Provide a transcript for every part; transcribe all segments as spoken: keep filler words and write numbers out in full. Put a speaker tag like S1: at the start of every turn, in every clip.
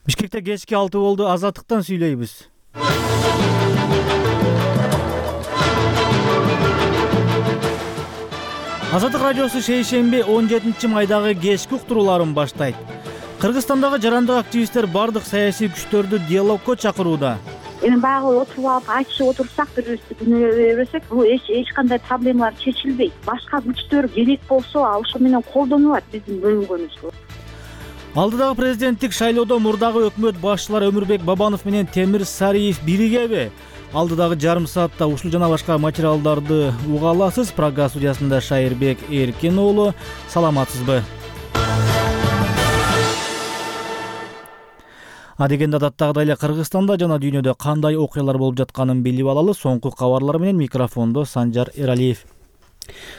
S1: Бишкекте кечки алты болду. Азаттыктан сүйлөйбүз. Азаттык радиосу шейшемби он жетинчи майдагы кечки уктурууларын баштайт. Кыргызстандагы жарандык активисттер бардык саясий күчтөрдү диалогко чакырууда.
S2: Эми баягы отуруп алып айтышып отурсак, бири-бирибизди күнөөлөй берсек, бул эч кандай проблемалар чечилбейт. Башка күчтөр керек болсо, ошо менен колдонулат биздин бөлүнгөнүбүз.
S1: Алдыдагы президенттик шайлоодо мурдагы өкмөт башчылары Өмүрбек Бабанов менен Темир Сариев биригеби? Алдыдагы жарым саатта ушул жана башка материалдарды уга аласыз. Программа студиясында Шайырбек Эркин уулу. Саламатсызбы? Адегенде адаттагыдай эле Кыргызстанда жана дүйнөдө кандай окуялар болуп жатканын билип алалы. Соңку кабарлар менен микрофондо Санжар Эралиев.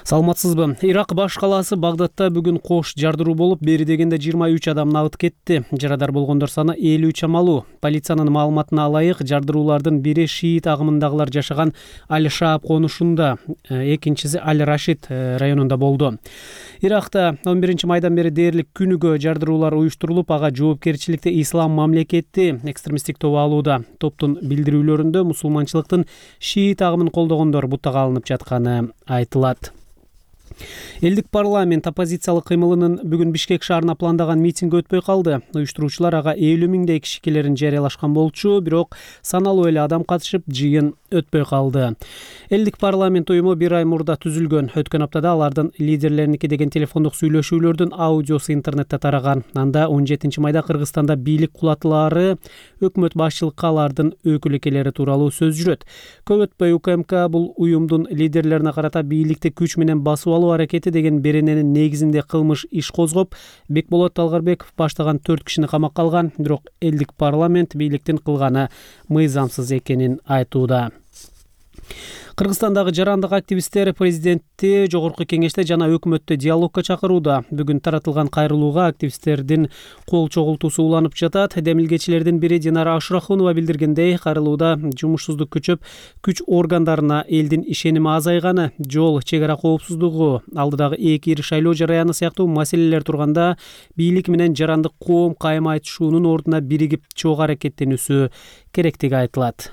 S3: Саламатсызбы? Ирак баш калаасы Багдадта бүгүн кош жардыруу болуп, бери дегенде жыйырма үч адам набыт кетти. Жарадар болгондор саны элүү чамалуу. Полициянын маалыматына ылайык, жардыруулардын бири шиит агымындагылар жашаган Аль-Шааб конушунда, экинчиси Аль-Рашид районунда болду. Иракта он биринчи майдан бери дээрлик күнүгө жардыруулар уюштурулуп, ага жоопкерчиликти Ислам мамлекети экстремисттик тобу алууда. Топтун билдирүүлөрүндө мусулманчылыктын шиит агымын колдогондор бутага алынып жатканы айтылат. Элдик парламент оппозициялык кыймылынын бүгүн Бишкек шаарына пландаган митинги өтпөй калды. Уюштуруучулар ага элүү миңдей кишикелерин жарыялашкан болчу, бирок саналуу эле адам катышып, жыйын өтпөй калды. Элдик парламент уюму бир ай мурда түзүлгөн. Өткөн аптада алардын лидерлериники деген телефондук сүйлөшүүлөрдүн аудиосу интернетте тараган. Анда он жетинчи майда Кыргызстанда бийлик кулатылары, өкмөт башчылыкка алардын өкүл-экелери тууралуу сөз жүрөт. Көп өтпөй УКМК бул уюмдун лидерлерине карата бийликти күч менен басып алуу аракети деген берененин негизинде кылмыш иш козгоп, Бекболот Талгарбеков баштаган төрт кишини камакка алган. Бирок элдик парламент бийликтин кылганы мыйзамсыз экенин айтууда. Кыргызстандагы жарандык активисттер президентти жогорку кеңеште жана өкмөттү диалогко чакырууда. Бүгүн таратылган кайрылууга активисттердин кол чогултуусу уланып жатат. Демилгечилердин бири Динара Ашурахунова билдиргендей, кайрылууда жумушсуздук күчөп, күч органдарына элдин ишеними азайганы, жол, чек ара коопсуздугу, алдыдагы эки ири шайлоо жараяны сыяктуу маселелер турганда бийлик менен жарандык коом кайым айтышуунун ордуна биригип чогуу аракеттенүүсү керектиги айтылат.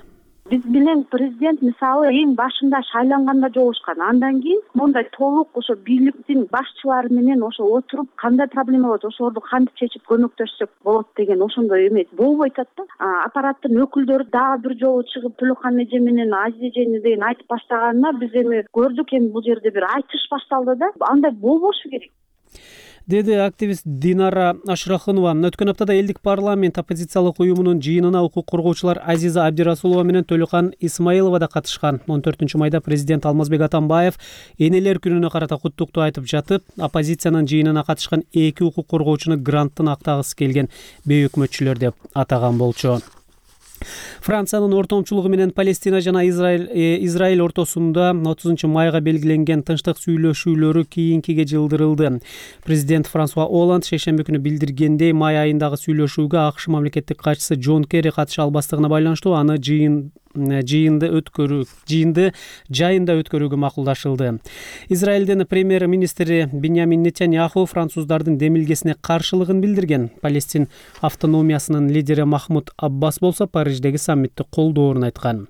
S2: Биз менен президент мисалы эң башында шайланганда жолугушкан. Андан кийин мондай толук ошо бийликтин башчылары менен ошо отуруп, кандай проблема болот, ошолорду кантип чечип көмөктөшсөк болот деген ошондой эме болбой атат да. Аппараттын өкүлдөрү дагы бир жолу чыгып Төлөкхан эже менен Азиз эжени деген айтып баштаганына биз эми көрдүк, эми бул жерде бир айтыш башталды да. Андай болбошу керек,
S3: деди активист Динара Ашурахунова. Өткөн аптада элдик парламент оппозициялык уюмунун жыйынына укук коргоочулар Азиза Абдирасулова менен Төлөкхан Исмаилова да катышкан. он төртүнчү майда президент Алмазбек Атамбаев энелер күнүнө карата куттуктуу айтып жатып, оппозициянын жыйынына катышкан эки укук коргоочуну гранттын актагысы келген бейөкмөтчүлөр деп атаган болчу. Франциянын ортомчулугу менен Палестина жана Израиль Израиль ортосунда отузунчу майга белгиленген тынчтык сүйлөшүүлөрү кийинкиге жылдырылды. Президент Франсуа Оланд шейшемби күнү билдиргендей, май айындагы сүйлөшүүгө АКШ мамлекеттик катчысы Джон Керри катыша албастыгына байланыштуу аны жыйын жыйынды өткөрүү жыйынды жайында өткөрүүгө макулдашылды. Израилдин премьер-министри Биньямин Нетаньяху француздардын демилгесине каршылыгын билдирген. Палестин автономиясынын лидери Махмуд Аббас болсо Париждеги саммитти колдоорун айткан.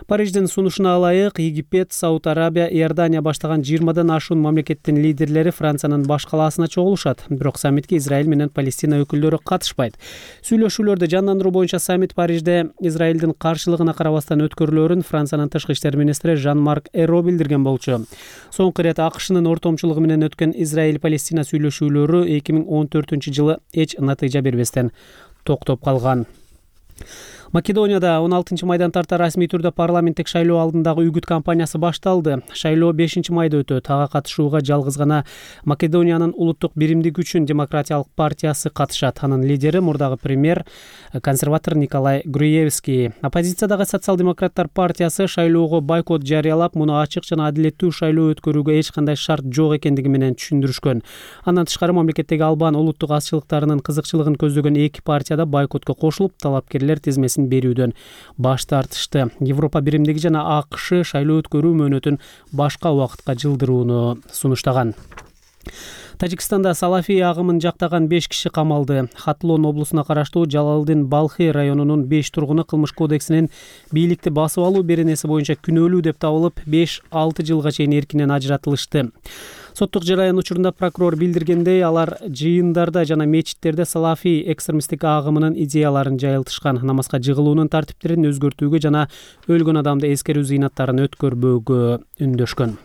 S3: Париждин сунушуна ылайык Египет, Сауд Арабия, Иордания баштаган жыйырмадан ашуун мамлекеттин лидерлери Франциянын баш калаасына чогулушат. Бирок саммитке Израиль менен Палестина өкүлдөрү катышпайт. Сүйлөшүүлөрдү жандандыруу боюнча саммит Парижде Израилдин каршылыгына карабастан өткөрүлөрүн Франциянын тышкы иштер министри Жан-Марк Эро билдирген болчу. Соңку ирет АКШнын ортомчулугу менен өткөн Израиль-Палестина сүйлөшүүлөрү эки миң он төртүнчү жылы эч натыйжа бербестен токтоп калган. Македонияда он алтынчы майдан тарта расмий түрдө парламенттик шайлоо алдындагы үгүт кампаниясы башталды. Шайлоо бешинчи майда өтөт. Ага катышууга жалгыз гана Македониянын улуттук биримдик үчүн демократиялык партиясы катышат. Анын лидери мурдагы премьер консерватор Николай Груевский. Оппозициядагы социал-демократтар партиясы шайлоого бойкот жарыялап, муну ачык жана адилеттүү шайлоо өткөрүүгө эч кандай шарт жок экендиги менен түшүндүрүшкөн. Андан тышкары мамлекеттеги Албан улуттук азчылыктарынын кызыкчылыгын көздөгөн эки партияда бойкотко кошулуп, талапкерлер тизмесин берүүдөн баш тартышты. Европа биримдиги жана АКШ шайлоо өткөрүү мөөнөтүн башка убакытка жылдырууну сунуштаган. Тажикстанда салафий агымын жактаган беш киши камалды. Хатлон облусуна караштуу Жалалдин Балхи районунун беш тургуну кылмыш кодексинин бийликти басып алуу беренеси боюнча күнөөлүү деп табылып, беш алты жылга чейин эркинен ажыратылышты. Соттук жараян учурунда прокурор билдиргендей, алар жыйындарда жана мечиттерде салафий экстремисттик агымынын идеяларын жайылтышкан, намазга жыгылуунун тартиптерин өзгөртүүгө жана өлгөн адамды эскерүү зыйнаттарын өткөрбөөгө үндөшкөн.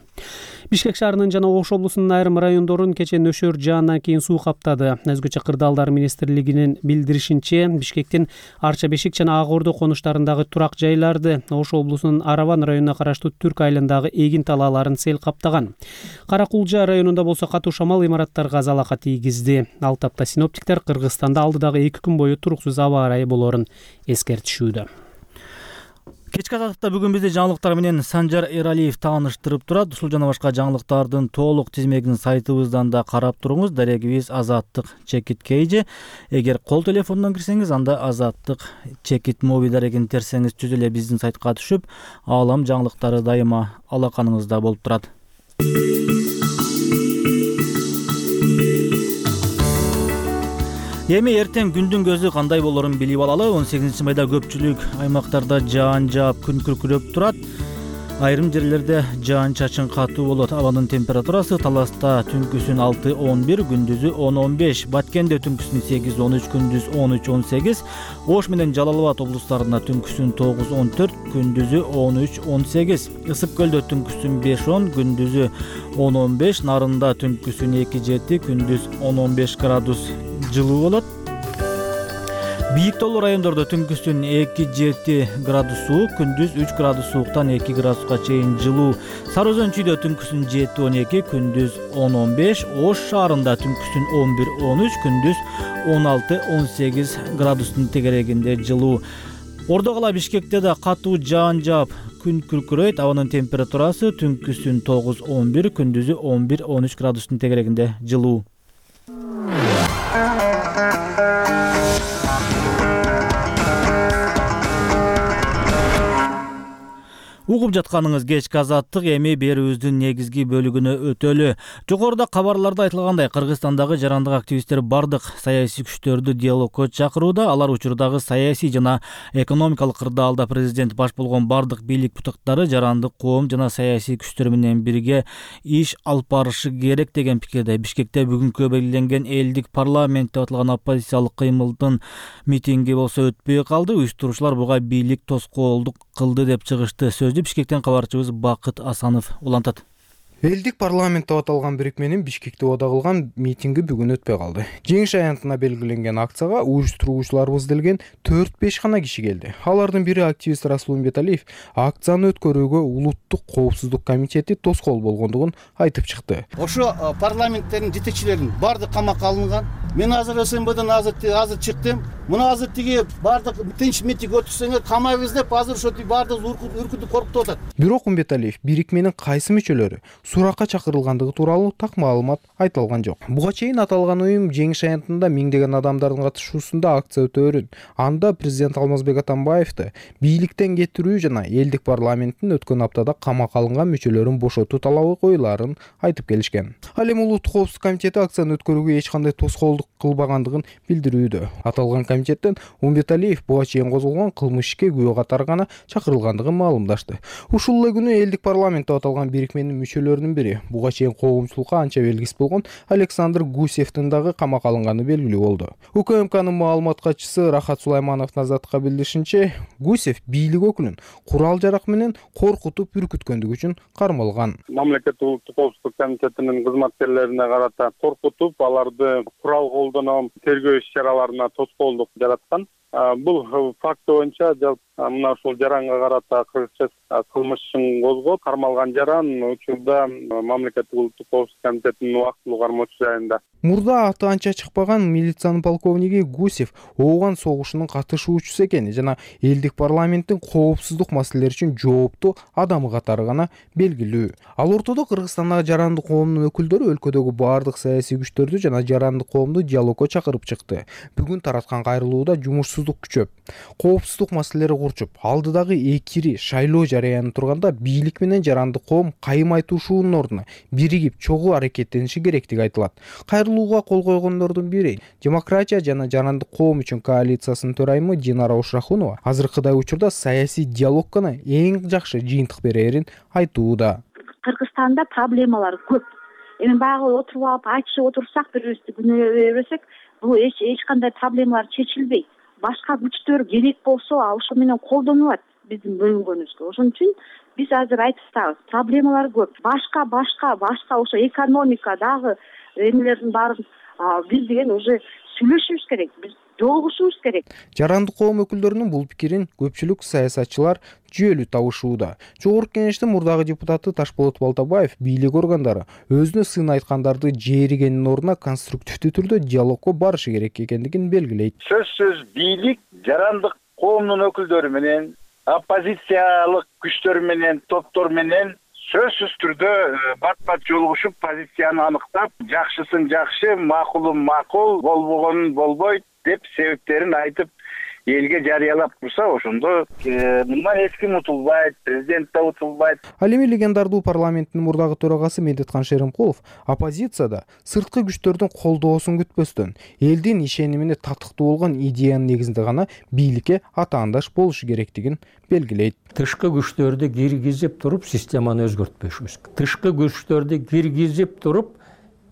S3: Бишкек шаарынын жана Ош облусунун айрым райондорун кечээ нөшөр жаандан кийин суу каптады. Өзгөчө кырдаалдар министрлигинин билдиришинче, Бишкектин Арча Бешик жана Ак Ордо конуштарындагы турак жайларды, Ош облусунун Араван районуна караштуу Түрк айылындагы эгин талааларын сел каптаган. Каракулжа районунда болсо катуу шамал имараттарга залака тийгизди. Ал тапта синоптиктер Кыргызстанда алдыдагы эки күн бою туруксуз аба ырайы болоорун эскертишүүдө.
S1: Кечки азаттыкта бүгүн бизди жаңылыктар менен Санжар Эралиев тааныштырып турат. Ушул жана башка жаңылыктардын толук тизмегин сайтыбыздан да карап туруңуз. Дарегибиз Азаттык Чекит Кейже. Эгер кол телефондон кирсеңиз, анда Азаттык Чекит моби дарегин терсеңиз түз эле биздин сайтка түшүп, аалам жаңылыктары дайыма алаканыңызда болуп турат. Эми эртең күндүн көзү кандай болорун билип алалы. он сегизинчи майда көпчүлүк аймактарда жаан жаап, күн күркүрөп турат. Айрым жерлерде жаан чачын катуу болот. Абанын температурасы Таласта түнкүсүн алты он бир, күндүзү он он беш, Баткенде түнкүсүн сегиз он үч, күндүз он үч он сегиз, Ош менен Жалал Абад облустарында түнкүсүн тогуз он төрт, күндүзү он үч он сегиз, Ысык көлдө түнкүсүн беш он, күндүзү он он беш, Нарында түнкүсүн эки жети, күндүз он он беш градус жылуу болот. Бийик тоолуу райондордо түнкүсүн эки жети градус суук, күндүз үч градус сууктан эки градуска чейин жылуу. Сары Өзөн чүйдө түнкүсүн жети он эки, күндүз он он беш, Ош шаарында түнкүсүн он бир он үч, күндүз он алты он сегиз градустун тегерегинде жылуу. Ордо кала Бишкекте да катуу жаан жаап, күн күркүрөйт. Абанын температурасы түнкүсүн тогуз он бир, күндүзү он бир он үч градустун тегерегинде жылуу. Угуп жатканыңыз кечки азаттык, эми берүүбүздүн негизги бөлүгүнө өтөлү. Жогоруда кабарларда айтылгандай, Кыргызстандагы жарандык активисттер бардык саясий күчтөрдү диалогко чакырууда. Алар учурдагы саясий жана экономикалык кырдаалда президент баш болгон бардык бийлик бутактары жарандык коом жана саясий күчтөр менен бирге иш алып барышы керек деген пикирде. Бишкекте бүгүнкү белгиленген элдик парламент деп аталган оппозициялык кыймылдын митинги болсо өтпөй калды. Уюштуруучулар буга бийлик тоскоолдук кылды деп чыгышты. Бишкектен кабарчыбыз Бакыт Асанов улантат.
S4: Элдик парламент деп аталган бирикменин Бишкекте ода кылган митинги бүгүн өтпөй калды. Жеңиш аянтына белгиленген акцияга уюштуруучуларыбыз делген төрт беш гана киши келди. Алардын бири активист Расул Умбеталиев акцияны өткөрүүгө улуттук коопсуздук комитети тоскоол болгондугун айтып чыкты.
S5: Ошо парламенттердин жетекчилеринин бардык камакка алынган. Мен азыр СМБден азыр азыр чыктым. Мына азыр тиги бардык тынч митинг өткөрсөңөр камайбыз деп азыр ошо бардык үркүтүп коркутуп атат.
S4: Бирок Умбеталиев бирикменин кайсы мүчөлөрү суракка чакырылгандыгы тууралуу так маалымат айтылган жок. Буга чейин аталган уюм Жеңиш аянтында миңдеген адамдардын катышуусунда акция өтөөрүн, анда президент Алмазбек Атамбаевди бийликтен кетирүү жана элдик парламенттин өткөн аптада камакка алынган мүчөлөрүн бошотуу талабы коюлаарын айтып келишкен. Ал эми улуттук коопсуздук комитети акцияны өткөрүүгө эч кандай тоскоолдук кылбагандыгын билдирүүдө. Аталган комитеттен Умбеталиев буга чейин козголгон кылмыш ишке күбө катары гана чакырылгандыгын маалымдашты. Ушул эле күнү элдик парламент деп аталган бирикменин мүчөлөрүнүн бири, буга чейин коомчулукка анча белгисиз болгон Александр Гусевдин дагы камакка алынганы белгилүү болду. УКМКнын маалымат катчысы Рахат Сулайманов Назатка билдиришинче, Гусев бийлик өкүлүн курал жарак менен коркутуп үркүткөндүгү үчүн кармалган.
S6: Мамлекеттик улуттук коопсуздук комитетинин кызматкерлерине карата коркутуп, аларды курал колдонуп, тергөө иш-чараларына тоскоолдук жараткан. Бул факт боюнча мына ушул жаранга карата кыргызча кылмышын козгоп, кармалган жаран учурда мамлекеттик улуттук коопсуздук комитетинин убактылуу кармоочу жайында.
S4: Мурда аты анча чыкпаган милициянын полковниги Гусев ооган согушунун катышуучусу экени жана элдик парламенттин коопсуздук маселелери үчүн жооптуу адамы катары гана белгилүү. Ал ортодо Кыргызстандагы жарандык коомдун өкүлдөрү өлкөдөгү бардык саясий күчтөрдү жана жарандык коомду диалогко чакырып чыкты. Бүгүн тараткан кайрылууда жумушсуз коопсуздук күчөп, коопсуздук маселелери курчуп, алдыдагы экири шайлоо жарыянып турганда бийлик менен жарандык коом кайым айтышуунун ордуна биригип чогуу аракеттениши керектиги айтылат. Кайрылууга кол койгондордун бири Демократия жана жарандык коом үчүн коалициясынын төрайымы Динара Ушрахунова азыркыдай учурда саясий диалогго эң жакшы жыйынтык берерин айтууда.
S2: Кыргызстанда проблемалар көп. Эми баягы отуруп алып айтышып отурсак, бири-бирибизди күнөө бербесек, бул эч эч кандай проблемалар чечилбейт. Башка күчтөр керек болсо, ошо менен колдонулат биздин бөлүнгөнүбүзгө. Ошон үчүн биз азыр айтып атабыз, проблемалар көп. Башка башка башка ошо экономика дагы эмелердин баарын биз деген уже сүйлөшүбүз керек. Биз жолугушубуз керек.
S4: Жарандык коом өкүлдөрүнүн бул пикирин көпчүлүк саясатчылар жүйөлүү табышууда. Жогорку Кеңештин мурдагы депутаты Ташболот Балтабаев бийлик органдары өзүнө сын айткандарды жээригенин ордуна конструктивдүү түрдө диалогко барышы керек экендигин белгилейт.
S7: Сөзсүз бийлик жарандык коомдун өкүлдөрү менен, оппозициялык күчтөр менен, топтор менен сөзсүз түрдө бат-бат жолугушуп, позицияны аныктап, жакшысын жакшы, макулун макул, болбогонун болбойт деп себептерин айтып элге жарыялап турса, ошондо мындан эч ким утулбайт, президент да утулбайт.
S4: Ал эми легендардуу парламенттин мурдагы төрагасы Медеткан Шеримкулов оппозицияда сырткы күчтөрдүн колдоосун күтпөстөн, элдин ишенимине татыктуу болгон идеянын негизинде гана бийликке атаандаш болушу керектигин белгилейт.
S8: Тышкы күчтөрдү киргизип туруп системаны өзгөртпөшүбүз керек. Тышкы күчтөрдү киргизип туруп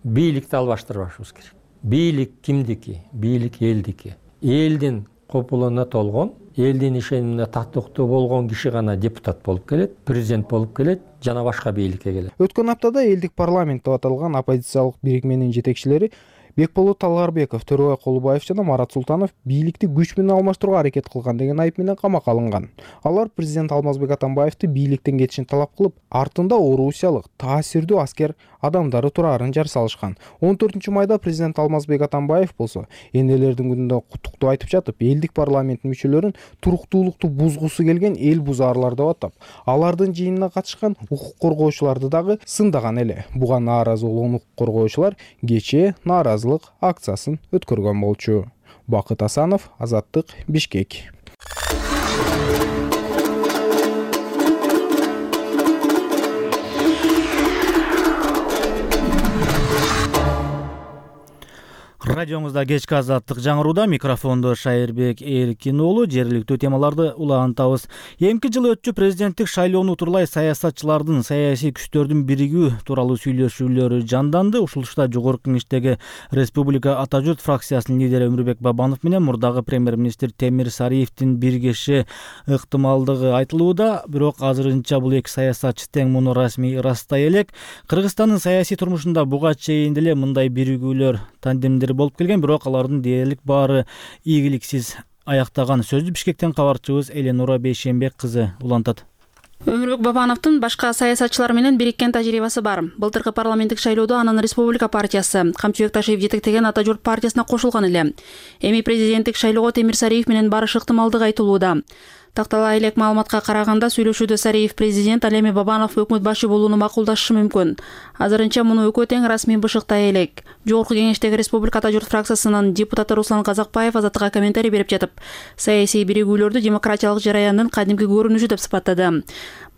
S8: бийликти албаштырбашыбыз керек. Бийлик кимдики? Бийлик элдики. Элдин копулуна толгон, элдин ишенимине татыктуу болгон киши гана депутат болуп келет, президент болуп келет, жана башка бийликке келет.
S4: Өткөн аптада элдик парламент деп аталган оппозициялык бирикменин жетекчилери Бекболот Талгарбеков, Төрөбай Колубаев жана Марат Султанов бийликти күч менен алмаштырууга аракет кылган деген айып менен камакка алынган. Алар президент Алмазбек Атамбаевди бийликтен кетишин талап кылып, артында орусиялык таасирдүү аскер адамдары турарын жар салышкан. он төртүнчү майда президент Алмазбек Атамбаев болсо, энелердин күнүндө куттуктуу айтып жатып, элдик парламенттин мүчөлөрүн туруктуулукту бузгусу келген эл бузаарлар деп атап, алардын жыйынына катышкан укук коргоочуларды дагы сындаган эле. Буга нааразы болгон укук коргоочулар кечээ нааразы акциясын өткөргөн болчу. Бакыт Асанов, Азаттык, Бишкек.
S1: Радиоңузда кечки азаттык жаңырууда, микрофондо Шайырбек Эркин уулу. Жергиликтүү темаларды улантабыз. Эмки жылы өтчү президенттик шайлоону тууралай саясатчылардын, саясий күчтөрдүн биригүү тууралуу сүйлөшүүлөрү жанданды. Ушулушта Жогорку Кеңештеги Республика Ата журт фракциясынын лидери Өмүрбек Бабанов менен мурдагы премьер-министр Темир Сариевдин биргеши ыктымалдыгы айтылууда. Бирок азырынча бул эки саясатчы тең муну расмий ырастай элек. Кыргызстандын саясий турмушунда буга чейин деле мындай биригүүлөр, тандемдер болуп келген, бирок алардын дээрлик баары ийгиликсиз аяктаган. Сөздү Бишкектен кабарчыбыз Эленура Бейшембек кызы улантат.
S9: Өмүрбек Бабановдун башка саясатчылар менен бириккен тажрыйбасы бар. Былтыркы парламенттик шайлоодо анын Республика партиясы, Камчыбек Ташиев жетектеген Ата журт партиясына кошулган эле. Эми президенттик шайлоого Темир Сариев менен барыш ыктымалдык айтылууда. Тактала элек маалыматка караганда, сүйлөшүүдө Сариев президент, ал эми Бабанов өкмөт башы болууну макулдашы мүмкүн. Азырынча муну экөө тең расмий бышыктай элек. Жогорку Кеңештеги Республика Ата журт фракциясынын депутаты Руслан Казакбаев Азаттыкка комментарий берип жатып, саясий биригүүлөрдү демократиялык жараяндын кадимки көрүнүшү деп сыпаттады.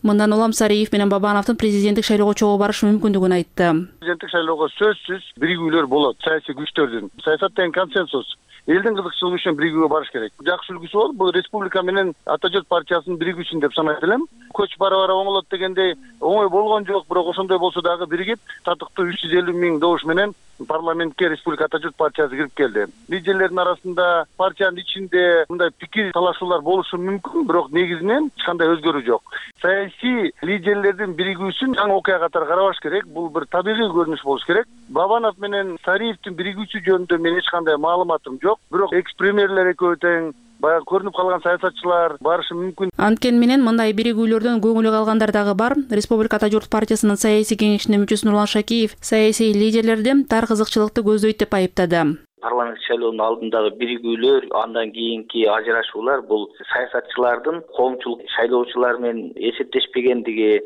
S9: Мындан улам Сариев менен Бабановдун президенттик шайлоого чогуу барышы мүмкүндүгүн айтты.
S7: Президенттик шайлоого сөзсүз биригүүлөр болот, саясий күчтөрдүн. Саясат тең консенсус. Элдин кызыкчылыгы үчүн биригүүгө барыш керек. Жакшы үлгүсү бол бул республика менен Ата журт партиясынын биригүүсүн деп санайт элем. Көч бара-бара оңолот дегендей оңой болгон жок, бирок ошондой болсо дагы биригип, татыктуу үч жүз элүү миң добуш менен парламентке Республика Ата журт партиясы кирип келди. Лидерлердин арасында, партиянын ичинде мындай пикир талашуулар болушу мүмкүн, бирок негизинен эч кандай өзгөрүү жок. Саясий лидерлердин биригүүсүн жаңы окуя катары карабаш керек. Бул бир табигый көрүнүш болуш керек. Бабанов менен Сариевдин биригүүсү жөнүндө мен эч кандай маалыматым жок. Бирок экс-премьерлер экөө тең, баягы көрүнүп калган саясатчылар барышы мүмкүн.
S9: Анткени менен мындай биригүүлөрдөн көңүлү калгандар дагы бар. Республика Ата журт партиясынын саясий кеңешинин мүчөсү Нурлан Шакиев саясий лидерлерди тар кызыкчылыкты көздөйт деп айыптады.
S10: Парламент шайлоонун алдындагы биригүүлөр, андан кийинки ажырашуулар бул саясатчылардын коомчулук шайлоочулар менен эсептешпегендиги,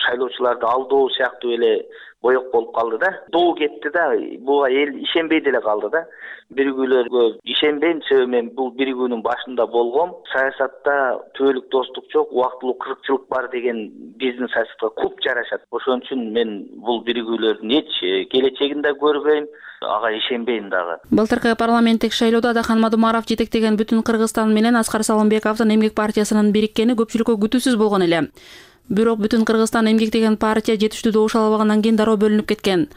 S10: шайлоочуларды алдоо сыяктуу эле боек болуп калды да. Доо кетти да. Буга эл ишенбей деле калды да. Биригүүлөргө ишенбейм, себеби мен бул биригүүнүн башында болгом. Саясатта түбөлүк достук жок, убактылуу кыркчылык бар деген биздин саясатка куп жарашат. Ошон үчүн мен бул биригүүлөрдүн эч келечегин да көрбөйм, ага ишенбейм дагы.
S9: Былтыркы парламенттик шайлоодо Адахан Мадумаров жетектеген Бүтүн Кыргызстан менен Аскар Салымбековдун Эмгек партиясынын бириккени көпчүлүккө күтүүсүз болгон эле. Бирок Бүтүн Кыргызстан Эмгек деген партия жетиштүү добуш ала албагандан кийин дароо бөлүнүп кеткен.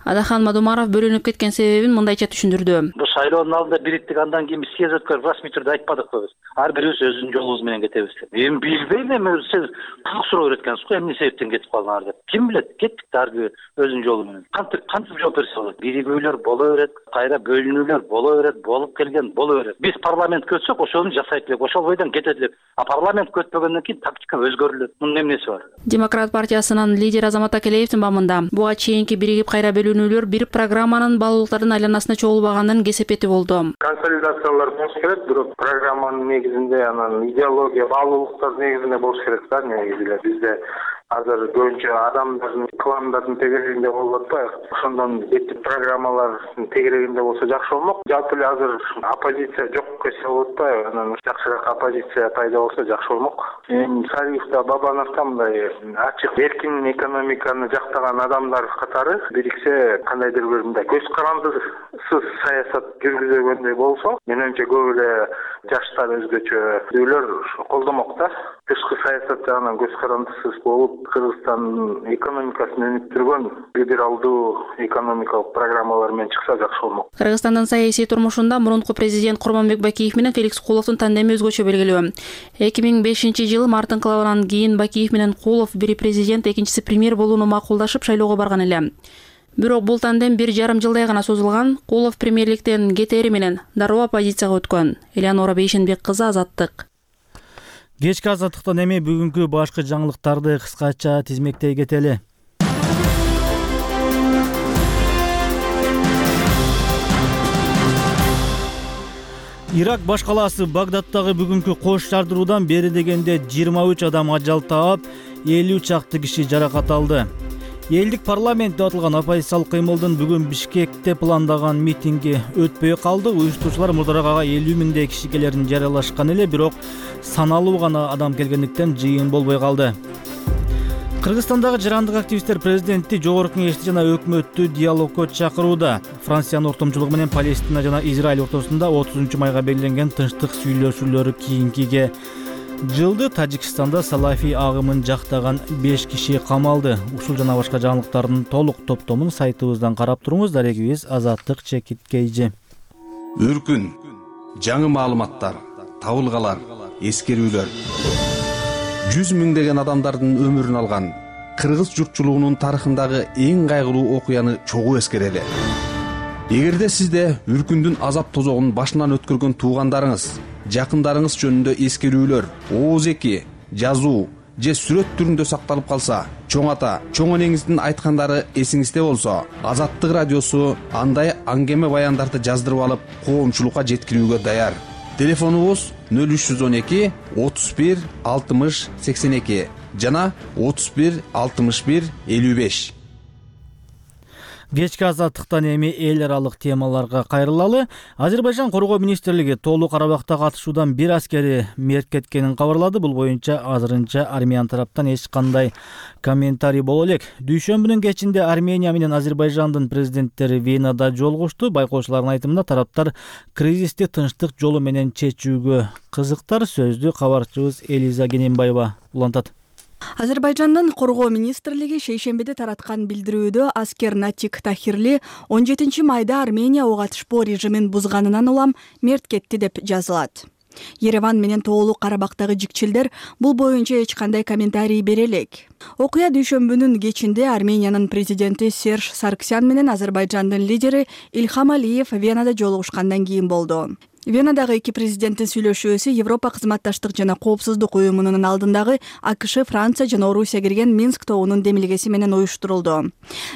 S9: Адахан Мадумаров бөлүнүп кеткен себебин мындайча түшүндүрдү.
S11: Бул шайлоонун алдында бириктик, андан кийин биз съезд өткөрүп расмий түрдө айтпадыкпы биз. Ар бирибиз өзүнүн жолубуз менен кетебиз деп. Эми билбейм, эми сиз кызык суроо береткенсиз го, эмне себептен кетип калдыңар деп. Ким билет, кеттик да ар бир өзүнүн жолу менен. Кантип кантип жооп берсе болот? Биригүүлөр боло берет, кайра бөлүнүүлөр боло берет, болуп келген боло берет. Биз парламент көтсөк, ошону жасайт элек, ошол бойдон кетет элек. А парламент көтпөгөндөн кийин тактика өзгөрүлөт. Мунун эмнеси бар?
S9: Демократ партиясынын лидери Азамат Акелеевдин бамында буга чейинки биригип кайра бөлүнүүлөр бир программанын баалуулуктардын айланасына чогулбаганын кесепети болду.
S12: Консолидациялар болуш керек, бирок программанын негизинде анан идеология баалуулуктар негизинде болуш керек да. Негизинде бизде азыр көбүнчө адамдардын, кландардын тегерегинде болуп атпайбы? Ошондон беттик программалардын тегерегинде болсо жакшы болмок. Жалпы эле азыр оппозиция жок десе болуп атпайбы? Анан жакшыраак оппозиция пайда болсо жакшы болмок. Эми Сариев да Бабанов да мындай ачык эркин экономиканы жактаган адамдар катары бириксе, кандайдыр бир мындай көз карандысыз саясат жүргүзгөндөй болсо, менимче көп эле жаштар өзгөчө өйлөр колдомок да. Тышкы саясат жагынан көз карандысыз болуп, Кыргызстандын экономикасын өнүктүргөн либералдуу экономикалык программалар менен чыкса жакшы болмок.
S9: Кыргызстандын саясий турмушунда мурунку президент Курманбек Бакиев менен Феликс Куловдун тандеми өзгөчө белгилүү. эки миң бешинчи жылы март инкылабынан кийин Бакиев менен Кулов бири президент, экинчиси премьер болууну макулдашып шайлоого барган эле. Бирок бул тандем бир жарым жылдай гана созулган. Кулов премьерликтен кетери менен дароо оппозицияга өткөн. Элеонора Бейшенбек кызы, Азаттык.
S1: Кечки Азаттыктан эми бүгүнкү башкы жаңылыктарды кыскача тизмектей кетели. Ирак баш калаасы Багдадтагы бүгүнкү кош жардыруудан бери дегенде жыйырма үч адам ажал таап, элүү чакты киши жаракат алды. Элдик парламентте атылган оппозициялык кыймылдын бүгүн Бишкекте пландаган митинги өтпөй калды. Уюштуучулар мурдараак ага элүү миңдей киши келерин жарыялашкан эле, бирок саналуу гана адам келгендиктен жыйын болбой калды. Кыргызстандагы жарандык активисттер президентти, жогорку кеңешти жана өкмөттү диалогко чакырууда. Франциянын ортомчулугу менен Палестина жана Израиль ортосунда отузунчу майга белгиленген тынчтык сүйлөшүүлөрү кийинкиге жылды. Тажикстанда салафий агымын жактаган беш киши камалды. Ушул жана башка жаңылыктардын толук топтомун сайтыбыздан карап туруңуз. Дарегибиз Азаттык Чекиткейжи.
S13: Үркүн, жаңы маалыматтар, табылгалар, эскерүүлөр. жүз миңдеген адамдардын өмүрүн алган кыргыз журтчулугунун тарыхындагы эң кайгылуу окуяны чогуу эскерели. Эгерде сизде үркүндүн азап тозогун башынан өткөргөн туугандарыңыз, жакындарыңыз жөнүндө эскерүүлөр, ооз эки, жазуу же сүрөт түрүндө сакталып калса, чоң ата, чоң энеңиздин айткандары эсиңизде болсо, Азаттык радиосу андай аңгеме баяндарды жаздырып алып, коомчулукка жеткирүүгө даяр. Телефонубуз нөл үч жүз он эки отуз бир алтымыш сексен эки жана отуз бир алтымыш бир элүү беш.
S1: Кечки Азаттыктан эми эл аралык темаларга кайрылалы. Азербайжан Коргоо министрлиги Тоолуу Карабакта катышуудан бир аскери мерт кеткенин кабарлады. Бул боюнча азырынча Армян тараптан эч кандай комментарий боло элек. Дүйшөмбүнүн кечинде Армения менен Азербайжандын президенттери Венада жолугушту. Байкоочулардын айтымында тараптар кризисти тынчтык жолу менен чечүүгө кызыктар. Сөздү кабарчыбыз Элиза Кененбаева улантат.
S14: Азербайжандын Коргоо министрлиги шейшембиде тараткан билдирүүдө аскер Натик Тахирли он жетинчи майда Армения ого атышпоо режимин бузганынан улам мерт кетти деп жазылат. Ереван менен Тоолуу Карабактагы жикчилдер бул боюнча эч кандай комментарий бере элек. Окуя дүйшөмбүнүн кечинде Армениянын президенти Серж Сарксян менен Азербайжандын лидери Ильхам Алиев Венада жолугушкандан кийин болду. Венадагы эки президенттин сүйлөшүүсү Европа кызматташтык жана коопсуздук уюмунун алдындагы АКШ, Франция жана Орусия кирген Минск тобунун демилгеси менен уюштурулду.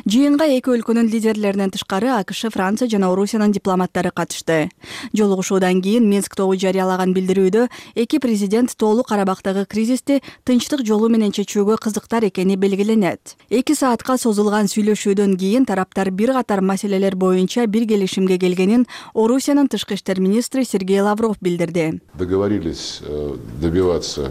S14: Жыйынга эки өлкөнүн лидерлеринен тышкары АКШ, Франция жана Орусиянын дипломаттары катышты. Жолугушуудан кийин Минск тобу жарыялаган билдирүүдө эки президент Тоолуу Карабактагы кризисти тынчтык жолу менен чечүүгө кызыктар экени белгиленет. эки саатка созулган сүйлөшүүдөн кийин тараптар бир катар маселелер боюнча бир келишимге келгенин Орусиянын тышкы иштер министри Сергей Лавров билдирди.
S15: Договорились добиваться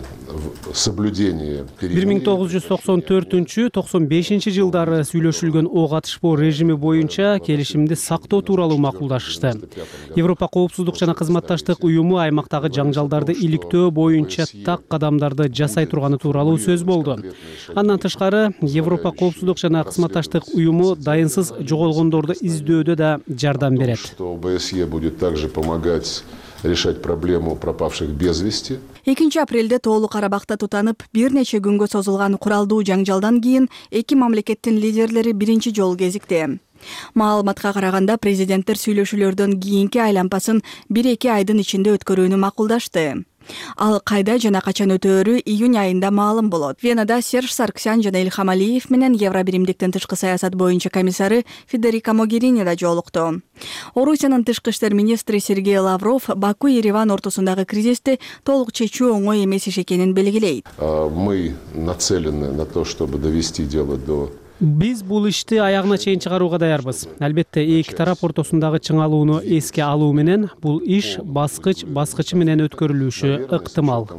S15: соблюдения
S3: бир миң тогуз жүз токсон төртүнчү токсон бешинчи жылдары сүйлөшүлгөн ок атышпоо режими боюнча келишимди сактоо тууралуу макулдашышты. Европа коопсуздук жана кызматташтык уюму аймактагы жаңжалдарды иликтөө боюнча так кадамдарды жасай турганы тууралуу сөз болду. Андан тышкары Европа коопсуздук жана кызматташтык уюму дайынсыз жоголгондорду издөөдө да жардам берет.
S15: Что ОБСЕ будет также помогать решать проблему пропавших без вести.
S14: экинчи апрелде Тоолуу Карабакта тутанып бир нече күнгө созулган куралдуу жаңжалдан кийин эки мамлекеттин лидерлери биринчи жолу кезикти. Маалыматка караганда президенттер сүйлөшүүлөрдөн кийинки айланпасын бир-эки айдын ичинде өткөрүүнү макулдашты. Ал кайда жана качан өтөөрү июнь айында маалым болот. Венада Серж Сарксян жана Илхам Алиев менен Евробиримдиктин тышкы саясат боюнча комиссары Федерико Могерини да жолукту. Орусиянын тышкы иштер министри Сергей Лавров Баку Ереван ортосундагы кризисти толук чечүү оңой эмес иш экенин белгилейт.
S15: Мы нацелены на то, чтобы довести дело до
S3: Биз бул ишти аягына чейин чыгарууга даярбыз. Албетте эки тарап ортосундагы чыңалууну эске алуу менен бул иш баскыч баскычы менен өткөрүлүшү ыктымал.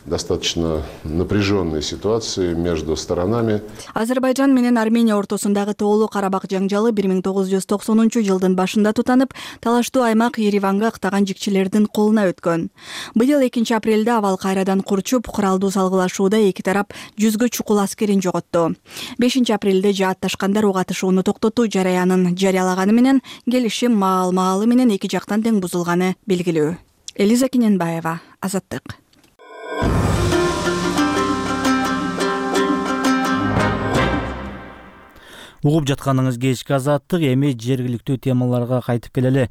S15: Достаточно напряженной ситуации между сторонами.
S14: Азербайжан менен Армения ортосундагы Тоолуу Карабак жаңжалы бир миң тогуз жүз токсонунчу жылдын башында тутанып, талаштуу аймак Ереванга ыктаган жикчилердин колуна өткөн. Быйыл экинчи апрелде абал кайрадан курчуп, куралдуу салгылашууда эки тарап жүзгө чукул аскерин жоготту. бешинчи апрелде жаатташкандар ок атышууну токтотуу жараянын жарыялаганы менен келишим маал-маалы менен эки жактан тең бузулганы белгилүү. Элиза Киненбаева, Азаттык.
S1: Угуп жатканыңыз кечки Азаттык, эми жергиликтүү темаларга кайтып келели.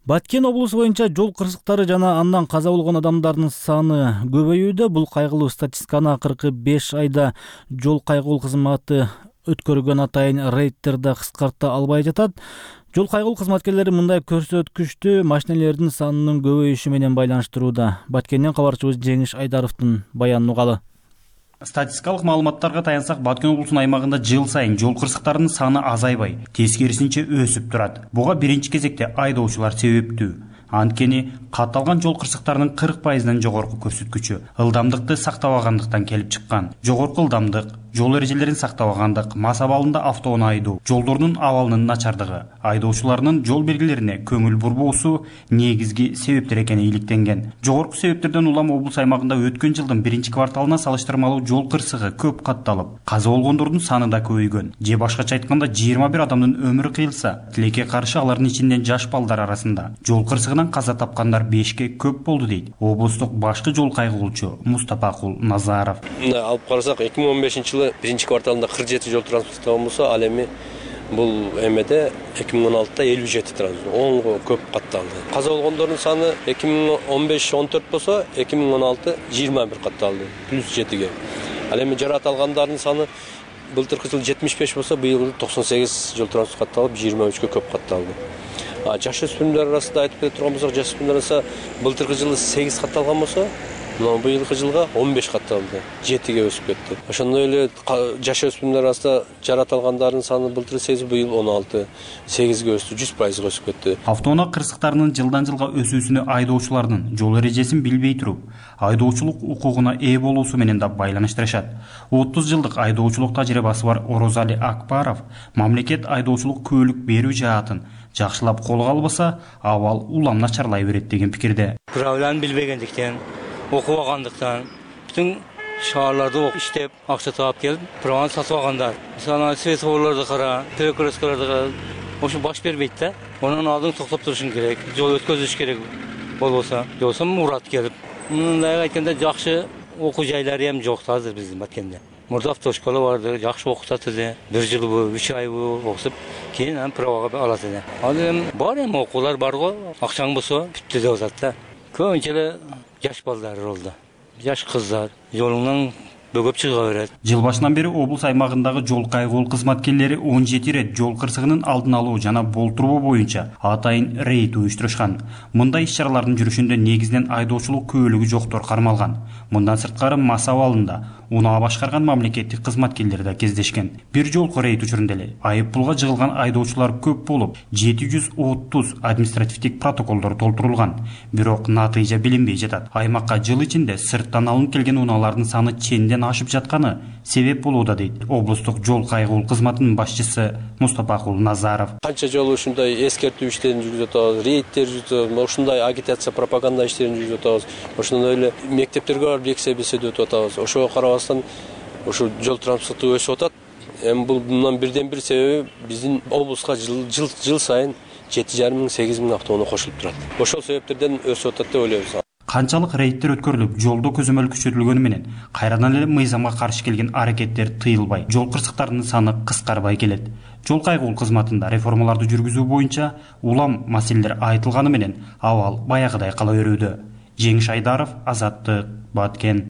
S1: Баткен облусу боюнча жол кырсыктары жана андан каза болгон адамдардын саны көбөйүүдө. Бул кайгылуу статистиканы акыркы беш айда жол кайгылуу кызматы өткөргөн атайын рейдтерде кыскарта албай жатат. Жол кайгылуу кызматкерлери мындай көрсөткүчтү машинелердин санынын көбөйүшү менен байланыштырууда. Баткенден кабарчыбыз Жеңиш Айдаровдун баянын угалы.
S16: Статистикалык маалыматтарга таянсак, Баткен облусунун аймагында жыл сайын жол кырсыктарынын саны азайбай, тескерисинче өсүп турат. Буга биринчи кезекте айдоочулар себептүү. Анткени катталган жол кырсыктарынын кырк пайызынан жогорку көрсөткүчү ылдамдыкты сактабагандыктан келип чыккан. Жогорку ылдамдык, жол эрежелерин сактабагандык, мас абалында автоону айдоо, жолдордун абалынын начардыгы, айдоочулардын жол белгилерине көңүл бурбоосу негизги себептер экени иликтенген. Жогорку себептерден улам облус аймагында өткөн жылдын биринчи кварталына салыштырмалуу жол кырсыгы көп катталып, каза болгондордун саны да көбөйгөн. Же башкача айтканда жыйырма бир адамдын өмүрү кыйылса, тилекке каршы алардын ичинен жаш балдар арасында жол кырсыгынан каза тапкандар бешке көп болду дейт облустук башкы жол кайгылуучу Мустапакул Назаров.
S17: Алып карасак, эки миң он бешинчи жылы биринчи кварталында кырк жети жол транспорттогон болсо, ал эми бул эмеде эки миң он алтыда элүү жети транспорт, онго көп катталды. Каза болгондордун саны эки миң он беш он төрт болсо, эки миң он алты жыйырма бир катталды, плюс жетиге. Ал эми жарат алгандардын саны былтыркы жылы жетимиш беш болсо, быйыл токсон сегиз жол транспорт катталып, жыйырма үчкө көп катталды. Жаш өспүрүмдөр арасында айтып келе турган болсок, жаш өспүрүмдөр арасында былтыркы жылы сегиз катталган болсо, быйылкы жылга он беш катталды, жетиге өсүп кетти. Ошондой эле жаш өспүрүмдөр арасында жарат алгандардын саны былтыр сегиз, быйыл он алты, сегизге өстү, жүз пайызга өсүп кетти.
S16: Автоунаа кырсыктарынын жылдан жылга өсүүсүнө айдоочулардын жол эрежесин билбей туруп, айдоочулук укугуна ээ болуусу менен да байланыштырышат. отуз жылдык айдоочулук тажрыйбасы бар Орозали Акбаров мамлекет айдоочулук күбөлүк берүү жаатын жакшылап колго албаса, абал улам начарлай берет деген пикирде.
S18: Правиланы билбегендиктен, окубагандыктан, бүтүн шаарларда иштеп, акча таап келип, праваны сатып алгандар. Мисалы, светофорлорду кара, перекресткаларды кара, ошо баш бербейт да. Онун алдын токтоп турушун керек, жол өткөзүш керек болбосо, жоксо урат келип. Мындай айтканда жакшы окуу жайлары эми жок азыр биздин Баткенде. мурда автошкола барды, жакшы окутат эле. бир жылбы, үч айбы окутуп, кийин анан правага алат эле. Ал эми бар эми окуулар бар го, акчаң болсо бүттү деп атат да. Көбүнчө эле жаш балдар болду. Жаш кыздар жолуңдан бөгөп чыга берет.
S16: Жыл башынан бери облус аймагындагы жол кайгыл кызматкерлери он жети ирет жол кырсыгынын алдын алуу жана болтуруу боюнча атайын рейд уюштурушкан. Мындай иш-чаралардын жүрүшүндө негизинен айдоочулук күбөлүгү жоктор кармалган. Мындан сырткары мас абалында унаа башкарган мамлекеттик кызматкерлер да кездешкен. Бир жолку рейд учурунда эле айып пулга жыгылган айдоочулар көп болуп, жети жүз отуз административдик протоколдор толтурулган. Бирок натыйжа билинбей жатат. Аймакка жыл ичинде сырттан алынып келген унаалардын саны ченден ашып жатканы себеп болууда дейт облустук жол кайгыл кызматынын башчысы Мустапакул Назаров.
S17: Канча жолу ушундай эскертүү иштерин жүргүзүп атабыз, рейдтер жүргүзүп атабыз, ушундай агитация, пропаганда иштерин жүргүзүп атабыз. Ошондой эле мектептерге барып лекция беседа өтүп атабыз. Ошого карабастан ушу жол транспорту өсүп атат. Эми бул мындан бирден бир себеби биздин облуска жыл жыл, жыл сайын жети жарым миң сегиз миң автоунаа кошулуп турат. Ошол себептерден өсүп атат деп ойлойбуз.
S16: Канчалык рейдтер өткөрүлүп, жолдо көзөмөл күчөтүлгөнү менен кайрадан эле мыйзамга каршы келген аракеттер тыйылбай, жол кырсыктарынын саны кыскарбай келет. Жол кайгыл кызматында реформаларды жүргүзүү боюнча улам маселелер айтылганы менен абал баягыдай кала берүүдө. Жеңиш Айдаров, Азаттык, Баткен.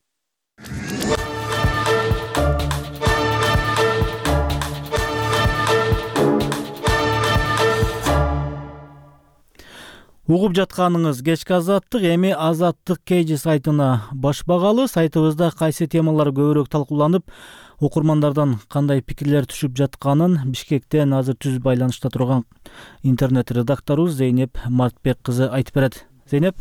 S1: Угуп жатканыңыз кечки Азаттык, эми Азаттык Кж сайтына баш багалы. Сайтыбызда кайсы темалар көбүрөөк талкууланып, окурмандардан кандай пикирлер түшүп жатканын Бишкектен азыр түз байланышта турган интернет редакторубуз Зейнеп Мартбек кызы айтып берет. Зейнеп.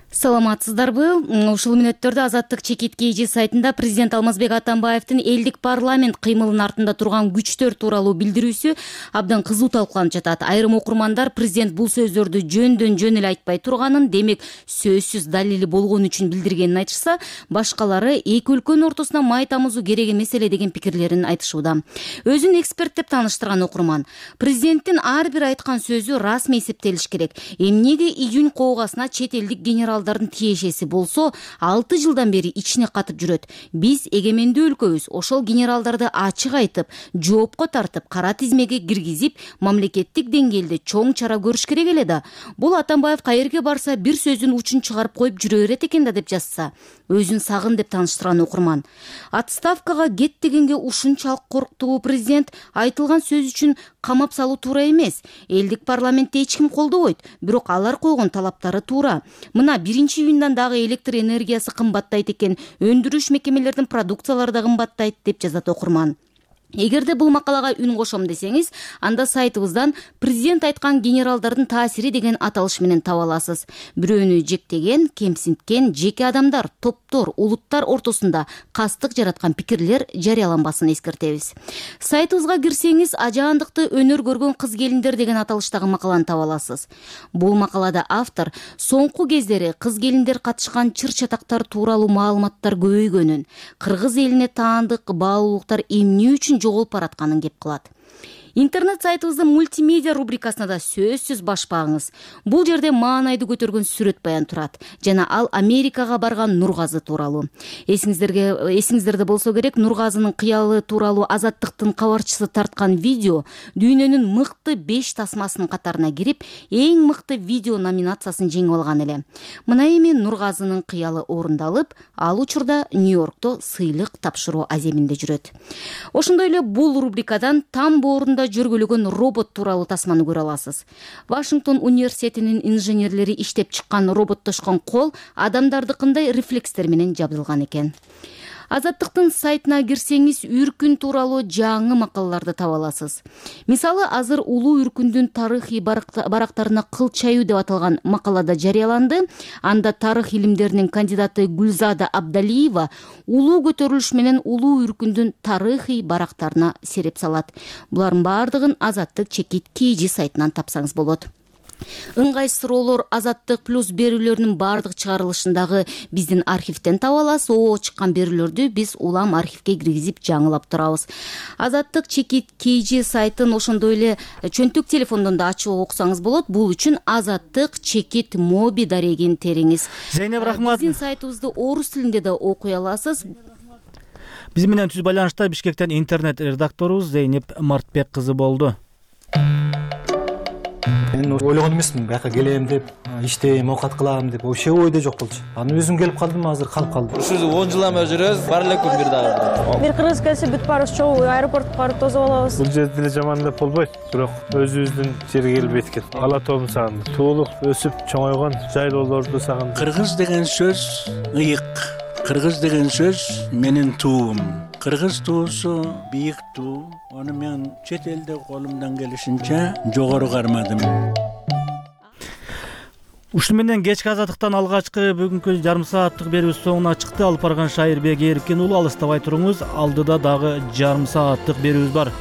S19: Саламатсыздарбы? Ушул мүнөттөрдө Азаттык Чекит Кж сайтында президент Алмазбек Атамбаевдин элдик парламент кыймылынын артында турган күчтөр тууралуу билдирүүсү абдан кызуу талкууланып жатат. Айрым окурмандар президент бул сөздөрдү жөндөн жөн эле айтпай турганын, демек сөзсүз далили болгон үчүн билдиргенин айтышса, башкалары эки өлкөнүн ортосуна май тамызуу керек эмес эле деген пикирлерин айтышууда. Өзүн эксперт деп тааныштырган окурман президенттин ар бир айткан сөзү расмий эсептелиш керек. Эмнеге июнь коогасына чет элдик генерал тиешеси болсо алты жылдан бери ичине катып жүрөт. Биз эгемендүү өлкөбүз, ошол генералдарды ачык айтып, жоопко тартып, кара тизмеге киргизип, мамлекеттик деңгээлде чоң чара көрүш керек эле да. Бул Атамбаев каерге барса бир сөзүн учун чыгарып коюп жүрө берет экен да деп жазса. Өзүн сагын деп тааныштырган окурман. Отставкага кет дегенге ушунчалык корктугу президент айтылган сөз үчүн камап салуу туура эмес. Элдик парламентте эч ким колдобойт, бирок алар койгон талаптары туура. Мына биринчи июндан дагы электр энергиясы кымбаттайт экен, өндүрүш мекемелеринин продукциялары да кымбаттайт деп жазат окурман. Эгерде бул макалага үн кошом десеңиз, анда сайтыбыздан президент айткан генералдардын таасири деген аталыш менен таба аласыз. Бирөөнү жектеген, кемсинткен жеке адамдар, топтор, улуттар ортосунда кастык жараткан пикирлер жарыяланбасын эскертебиз. Сайтыбызга кирсеңиз, ажаандыкты өнөр көргөн кыз келиндер деген аталыштагы макаланы таба аласыз. Бул макалада автор соңку кездери кыз келиндер катышкан чыр-чатактар тууралуу маалыматтар көбөйгөнүн, кыргыз элине таандык баалуулуктар эмне үчүн жоголуп баратканын кеп кылат. Интернет сайтыбыздын мультимедиа рубрикасына да сөзсүз баш багыңыз. Бул жерде маанайды көтөргөн сүрөт баян турат жана ал Америкага барган Нургазы тууралуу. Эсиңиздерге эсиңиздерде болсо керек, Нургазынын кыялы тууралуу Азаттыктын кабарчысы тарткан видео дүйнөнүн мыкты беш тасмасынын катарына кирип, эң мыкты видео номинациясын жеңип алган эле. Мына эми Нургазынын кыялы орундалып, ал учурда Нью-Йоркто сыйлык тапшыруу аземинде жүрөт. Ошондой эле бул рубрикадан там боорунда жүргүлөгөн робот тууралуу тасманы көрө аласыз. Вашингтон университетинин инженерлери иштеп чыккан роботтошкон кол адамдардыкындай рефлекстер менен жабдылган экен. Азаттыктын сайтына кирсеңиз, үркүн тууралуу жаңы макалаларды таба аласыз. Мисалы, азыр улуу үркүндүн тарыхый барактарына кыл чаюу деп аталган макалада жарыяланды. Анда тарых илимдеринин кандидаты Гүлзада Абдалиева улуу көтөрүлүш менен улуу үркүндүн тарыхый барактарына сереп салат. Булардын баардыгын Азаттык Чекит Кж сайтынан тапсаңыз болот. ыңгай суроолор азаттык плюс берүүлөрүнүн баардык чыгарылышындагы биздин архивден таба аласыз. О чыккан берүүлөрдү биз улам архивге киргизип жаңылап турабыз. Азаттык чекит kg сайтын ошондой эле чөнтүк телефондон да ачып окусаңыз болот. Бул үчүн азаттык чекит моби дарегин териңиз.
S1: Зейнеп рахмат.
S19: Биздин сайтыбызды орус тилинде да окуй аласыз.
S1: Биз менен түз байланышта Бишкектен интернет редакторубуз Зейнеп Мартбек кызы болду.
S20: Мен ойлогон эмесмин бияка келем деп, иштейм, оокат кылам деп, вообще ойдо жок болчу. Анан өзүм келип калдым, азыр калып калдым.
S21: Ушул он жыл эме жүрөбүз, бар эле күн бир дагы.
S22: Бир кыргыз келсе бүт баарыбыз чогуу аэропортко барып тосуп алабыз.
S23: Бул жерде эле жаман деп болбойт, бирок өзүбүздүн жерге келип эткен. Ала тоомду сагындым. Туулук өсүп чоңойгон жайлоолорду сагындым.
S24: Кыргыз деген сөз ыйык. Кыргыз деген сөз менин туум. Кыргыз туусу бийик туу. Аны мен чет элде колумдан келишинче жогору кармадым.
S1: Ушун менен кечки азаттыктан алгачкы бүгүнкү жарым сааттык берүүбүз соңуна чыкты. Алып барган Шайырбек Эркин уулу алыстабай туруңуз. Алдыда дагы жарым сааттык берүүбүз бар.